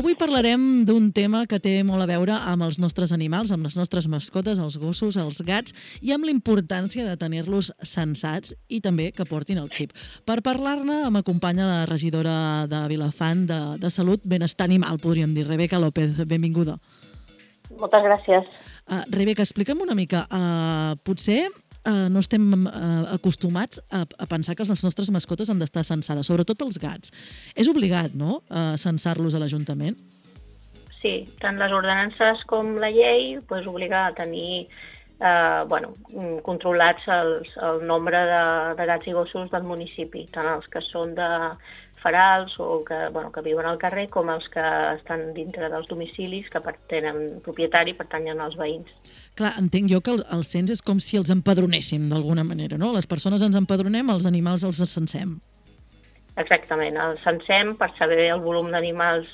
Avui parlarem d'un tema que té molt a veure amb els nostres animals, amb les nostres mascotes, els gossos, els gats, i amb la importància de tenir-los censats i també que portin el xip. Per parlar-ne m'acompanya la regidora de Vilafant de Salut, Benestar Animal, podríem dir, Rebeca López. Benvinguda. Moltes gràcies. Rebeca, explica'm una mica. Potser no estem acostumats a pensar que les nostres mascotes han d'estar censades, sobretot els gats. És obligat, no?, censar-los a l'Ajuntament? Sí, tant les ordenances com la llei obliga a tenir controlats el nombre de gats i gossos del municipi, tant els que són de ferals o que viuen al carrer com els que estan dintre dels domicilis que tenen propietari, pertanyen als veïns. Clar, entenc jo que el cens és com si els empadronéssim d'alguna manera, no? Les persones ens empadronem, els animals els censem. Exactament, els censem per saber el volum d'animals,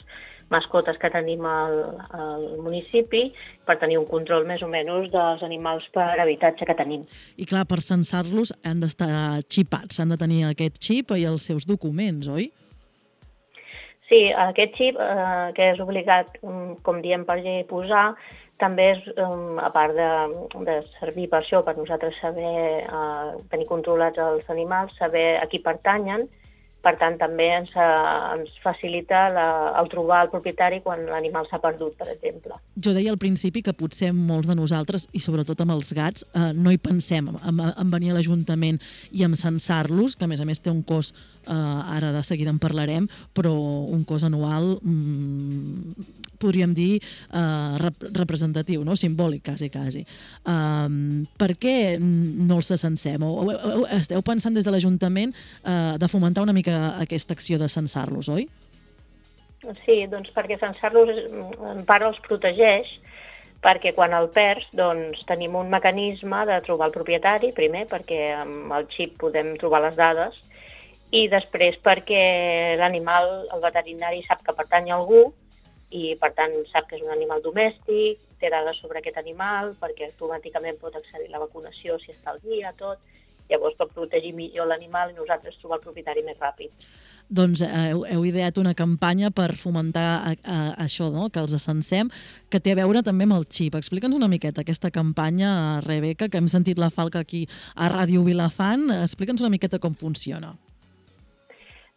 mascotes que tenim al municipi, per tenir un control més o menys dels animals per habitatge que tenim. I clar, per censar-los han d'estar xipats, han de tenir aquest xip i els seus documents, oi? Sí, aquest xip, que és obligat, com diem per llei, posar, també és, a part de servir per això, per nosaltres saber tenir controlats els animals, saber a qui pertanyen. Per tant, també ens facilita el trobar el propietari quan l'animal s'ha perdut, per exemple. Jo deia al principi que potser molts de nosaltres, i sobretot amb els gats, no hi pensem en venir a l'Ajuntament i en censar-los, que a més té un cost, ara de seguida en parlarem, però un cost anual, podríem dir, representatiu, no? Simbòlic, quasi. Per què no els censem? Esteu pensant des de l'Ajuntament de fomentar una mica aquesta acció de censar-los, oi? Sí, doncs perquè censar-los en part els protegeix, perquè quan el perds tenim un mecanisme de trobar el propietari, primer perquè amb el xip podem trobar les dades, i després perquè l'animal, el veterinari sap que pertany a algú i per tant sap que és un animal domèstic, té dades sobre aquest animal, perquè automàticament pot accedir a la vacunació si està al dia, tot. Llavors pot protegir millor l'animal i nosaltres trobar el propietari més ràpid. Doncs heu ideat una campanya per fomentar això, no?, que els censem, que té a veure també amb el xip. Explica'ns una miqueta aquesta campanya, Rebeca, que hem sentit la falca aquí a Ràdio Vilafant. Explica'ns una miqueta com funciona.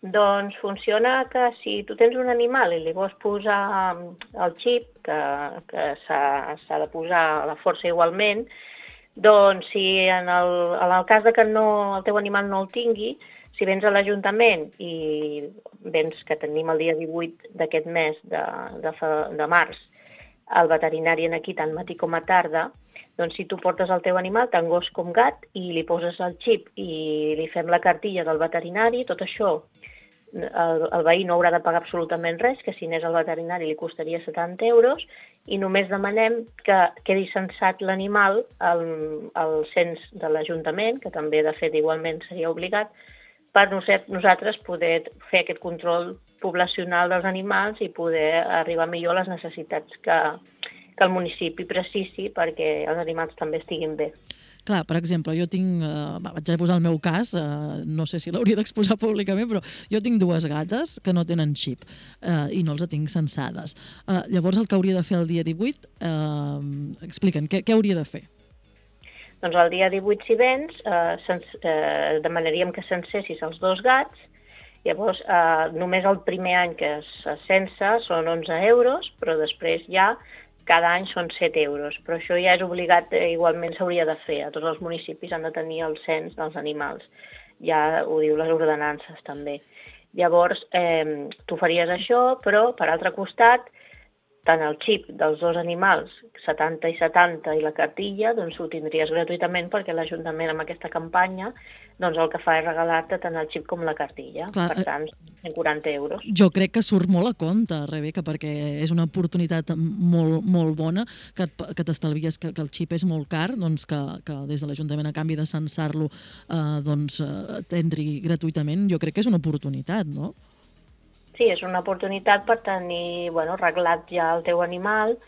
Doncs funciona que si tu tens un animal i li vols posar el xip, que s'ha de posar a la força igualment, doncs si en el cas que el teu animal no el tingui, si vens a l'Ajuntament i vens que tenim el dia 18 d'aquest mes de març, el veterinari aquí tant matí com a tarda, doncs si tu portes el teu animal, tant gos com gat, i li poses el xip i li fem la cartilla del veterinari, tot això el veí no haurà de pagar absolutament res, que si anés al veterinari li costaria 70 euros, i només demanem que quedi censat l'animal al cens de l'Ajuntament, que també de fet igualment seria obligat, per nosaltres poder fer aquest control poblacional dels animals i poder arribar millor a les necessitats que el municipi precisi perquè els animals també estiguin bé. Clar, per exemple, jo tinc, vaig a posar el meu cas, no sé si l'hauria d'exposar públicament, però jo tinc 2 gates que no tenen xip i no els tinc censades. Llavors el que hauria de fer el dia 18, explica'n, què hauria de fer? Doncs el dia 18 si vens, demanaríem que censessis els 2 gats, llavors només el primer any que es censa són 11 euros, però després ja cada any són 7 euros, però això ja és obligat, igualment s'hauria de fer. A tots els municipis han de tenir el cens dels animals. Ja ho diu les ordenances també. Llavors, tu faries això, però per altre costat, tant el xip dels 2 animals, 70 i 70, i la cartilla, doncs ho tindries gratuïtament perquè l'Ajuntament amb aquesta campanya doncs el que fa és regalar-te tant el xip com la cartilla. Clar, per tant, 140 euros. Jo crec que surt molt a compte, Rebeca, perquè és una oportunitat molt, molt bona que t'estalvies que el xip és molt car, doncs que des de l'Ajuntament a canvi de censar-lo t'entri gratuïtament. Jo crec que és una oportunitat, no? Sí, és una oportunitat per tenir reglat ja el teu animal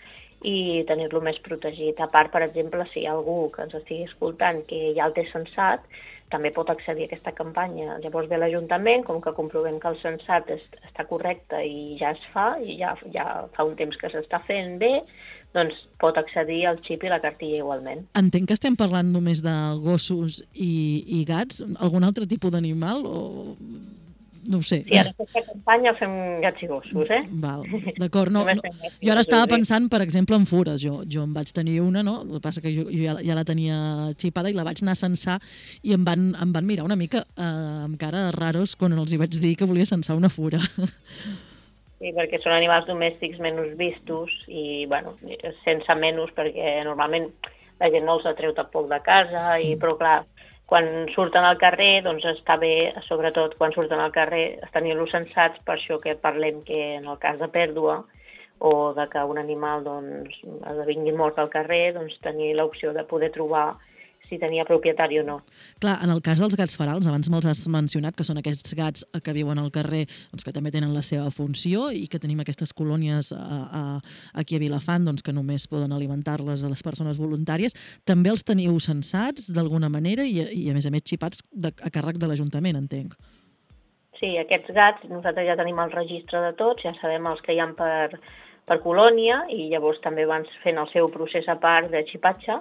i tenir-lo més protegit. A part, per exemple, si hi ha algú que ens estigui escoltant que ja el té censat, també pot accedir a aquesta campanya. Llavors ve l'Ajuntament, com que comprovem que el censat està correcte i ja es fa, i ja fa un temps que s'està fent bé, doncs pot accedir al xip i la cartilla igualment. Entenc que estem parlant només de gossos i gats. Algun altre tipus d'animal? O... No ho sé. Sí, en aquesta campanya fem gats i gossos, Val, d'acord. Jo ara estava pensant, per exemple, en fures. Jo em vaig tenir una, no? El que passa que jo ja la tenia xipada i la vaig anar a censar i em van mirar una mica amb cara de raros quan els hi vaig dir que volia censar una fura. Sí, perquè són animals domèstics menys vistos i, bueno, sense menys, perquè normalment la gent no els atreu tampoc de casa, però clar, quan surten al carrer, doncs està bé, sobretot quan surten al carrer, tenir-los censats, per això que parlem que en el cas de pèrdua o de que un animal doncs, esdevingui mort al carrer, doncs tenir l'opció de poder trobar si tenia propietari o no. Clar, en el cas dels gats ferals, abans me'ls has mencionat, que són aquests gats que viuen al carrer, doncs que també tenen la seva funció i que tenim aquestes colònies aquí a Vilafant doncs que només poden alimentar-les a les persones voluntàries. També els teniu censats d'alguna manera i a més xipats a càrrec de l'Ajuntament, entenc. Sí, aquests gats nosaltres ja tenim el registre de tots, ja sabem els que hi ha per colònia i llavors també van fent el seu procés a part de xipatge,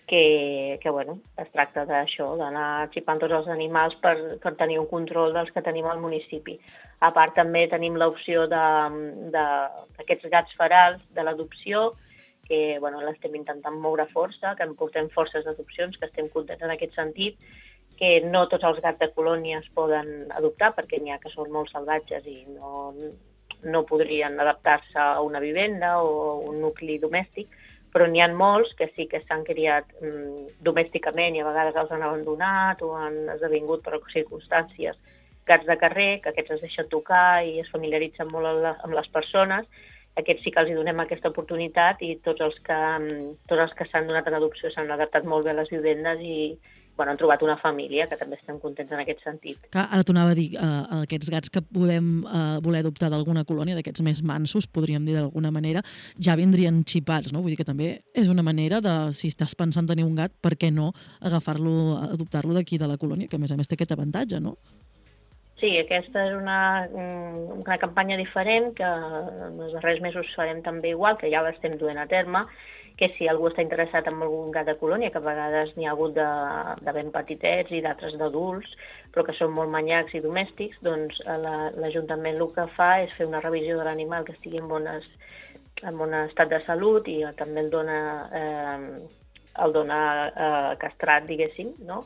que bueno, es tracta d'això, d'anar xipant tots els animals per tenir un control dels que tenim al municipi. A part també tenim l'opció d'aquests gats ferals de l'adopció, que bueno, l'estem intentant moure força, que en portem forces d'adopcions, que estem contents en aquest sentit, que no tots els gats de colònia es poden adoptar, perquè n'hi ha que són molt salvatges i no podrien adaptar-se a una vivenda o un nucli domèstic, però n'hi ha molts que sí que s'han criat domèsticament i a vegades els han abandonat o han esdevingut per circumstàncies gats de carrer, que aquests es deixen tocar i es familiaritzen molt amb les persones. Aquests sí que els donem aquesta oportunitat i tots els que s'han donat en adopció s'han adaptat molt bé a les vivendes i han trobat una família, que també estem contents en aquest sentit. Ara t'ho anava a dir, aquests gats que podem voler adoptar d'alguna colònia, d'aquests més mansos, podríem dir d'alguna manera, ja vindrien xipats, no? Vull dir que també és una manera de, si estàs pensant tenir un gat, per què no agafar-lo, adoptar-lo d'aquí de la colònia, que a més té aquest avantatge, no? Sí, aquesta és una campanya diferent que en els darrers mesos farem també igual, que ja l'estem duent a terme, que si algú està interessat en algun gat de colònia, que a vegades n'hi ha hagut de ben petitets i d'altres d'adults, però que són molt manyacs i domèstics, doncs l'Ajuntament el que fa és fer una revisió de l'animal que estigui en bon estat de salut i també el dona castrat, diguéssim, no?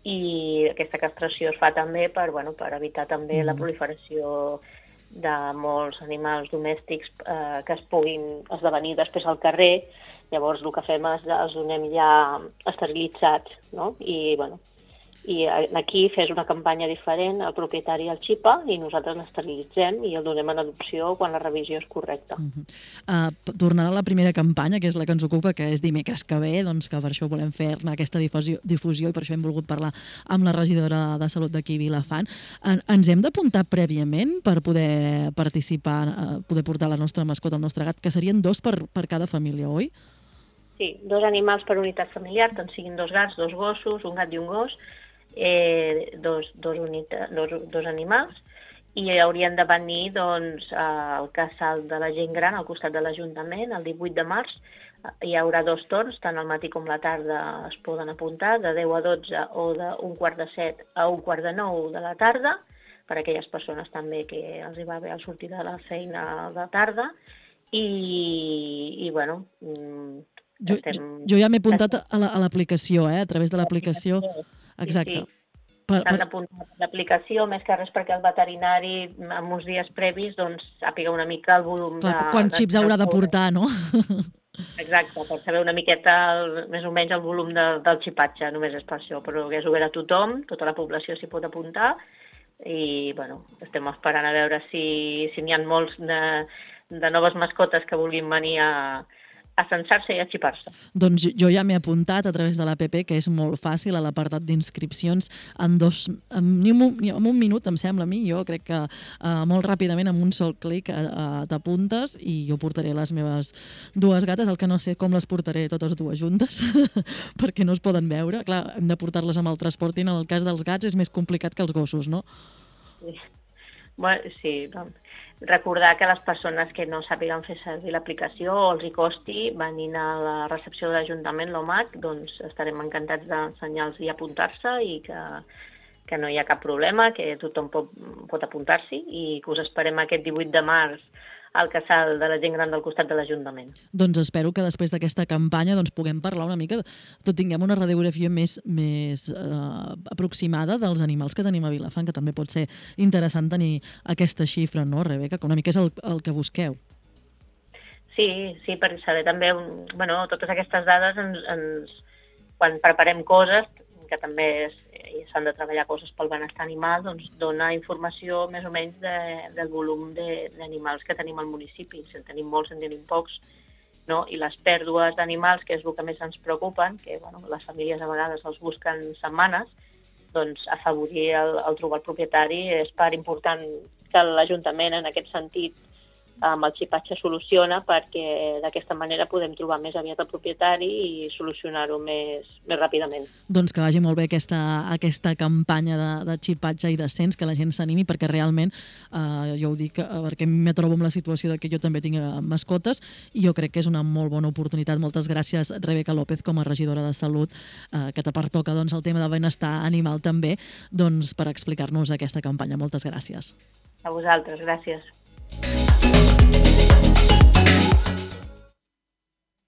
I aquesta castració es fa també per evitar també la proliferació de molts animals domèstics que es puguin esdevenir després al carrer. Llavors el que fem és els donem ja esterilitzats, no? I aquí fes una campanya diferent, el propietari el xipa i nosaltres l'esterilitzem i el donem en adopció quan la revisió és correcta. Tornant a la primera campanya, que és la que ens ocupa, que és dimecres que ve, doncs que per això volem fer-ne aquesta difusió i per això hem volgut parlar amb la regidora de Salut d'aquí Vilafant. Ens hem d'apuntar prèviament per poder participar, poder portar la nostra mascota, el nostre gat, que serien 2 per cada família, oi? Sí, 2 animals per unitat familiar, tant siguin 2 gats, 2 gossos, un gat i un gos, dos animals, i haurien de venir al casal de la gent gran al costat de l'Ajuntament el 18 de març. Hi haurà 2 torns, tant al matí com la tarda es poden apuntar, de 10 a 12 o de 1:45 a 1:45 de la tarda, per a aquelles persones també que els hi va bé al sortir de la feina de tarda, i bueno... Jo ja m'he apuntat a l'aplicació, a través de l'aplicació. Exacte. S'han d'apuntar a l'aplicació, més que res perquè el veterinari, en uns dies previs, sàpiga una mica el volum de... Quants xips haurà de portar, no? Exacte, per saber una miqueta més o menys el volum del xipatge, només és per això, però que és obert a tothom, tota la població s'hi pot apuntar, i estem esperant a veure si n'hi ha molts de noves mascotes que vulguin venir a censar-se i a xipar-se. Doncs jo ja m'he apuntat a través de l'APP, que és molt fàcil, a l'apartat d'inscripcions, en un minut, em sembla a mi, jo crec que molt ràpidament, amb un sol clic, t'apuntes i jo portaré les meves dues gates, el que no sé com les portaré totes dues juntes, perquè no es poden veure. Clar, hem de portar-les amb el transport i en el cas dels gats és més complicat que els gossos, no? Sí. Bueno, sí, doncs, recordar que les persones que no sàpiguen fer servir l'aplicació o els hi costi venint a la recepció de l'Ajuntament, l'OMAC, doncs estarem encantats d'ensenyar-los i apuntar-se i que no hi ha cap problema, que tothom pot apuntar-s'hi i que us esperem aquest 18 de març al casal de la gent gran del costat de l'Ajuntament. Doncs espero que després d'aquesta campanya puguem parlar una mica, tinguem una radiografia més aproximada dels animals que tenim a Vilafant, que també pot ser interessant tenir aquesta xifra, no, Rebeca? Que una mica és el que busqueu. Sí, perquè saber també, totes aquestes dades quan preparem coses, que també s'han de treballar coses pel benestar animal, doncs dona informació més o menys del volum d'animals que tenim al municipi. Si en tenim molts, en tenim pocs, no? I les pèrdues d'animals, que és el que més ens preocupen, que les famílies a vegades els busquen setmanes, doncs afavorir el trobar el propietari és part important que l'Ajuntament en aquest sentit amb el xipatge soluciona, perquè d'aquesta manera podem trobar més aviat el propietari i solucionar-ho més ràpidament. Doncs que vagi molt bé aquesta campanya de xipatge i descens, que la gent s'animi, perquè realment, jo ho dic perquè me trobo en la situació de que jo també tinc mascotes i jo crec que és una molt bona oportunitat. Moltes gràcies, Rebeca López, com a regidora de Salut, que te pertoca el tema de benestar animal també, per explicar-nos aquesta campanya. Moltes gràcies. A vosaltres, gràcies.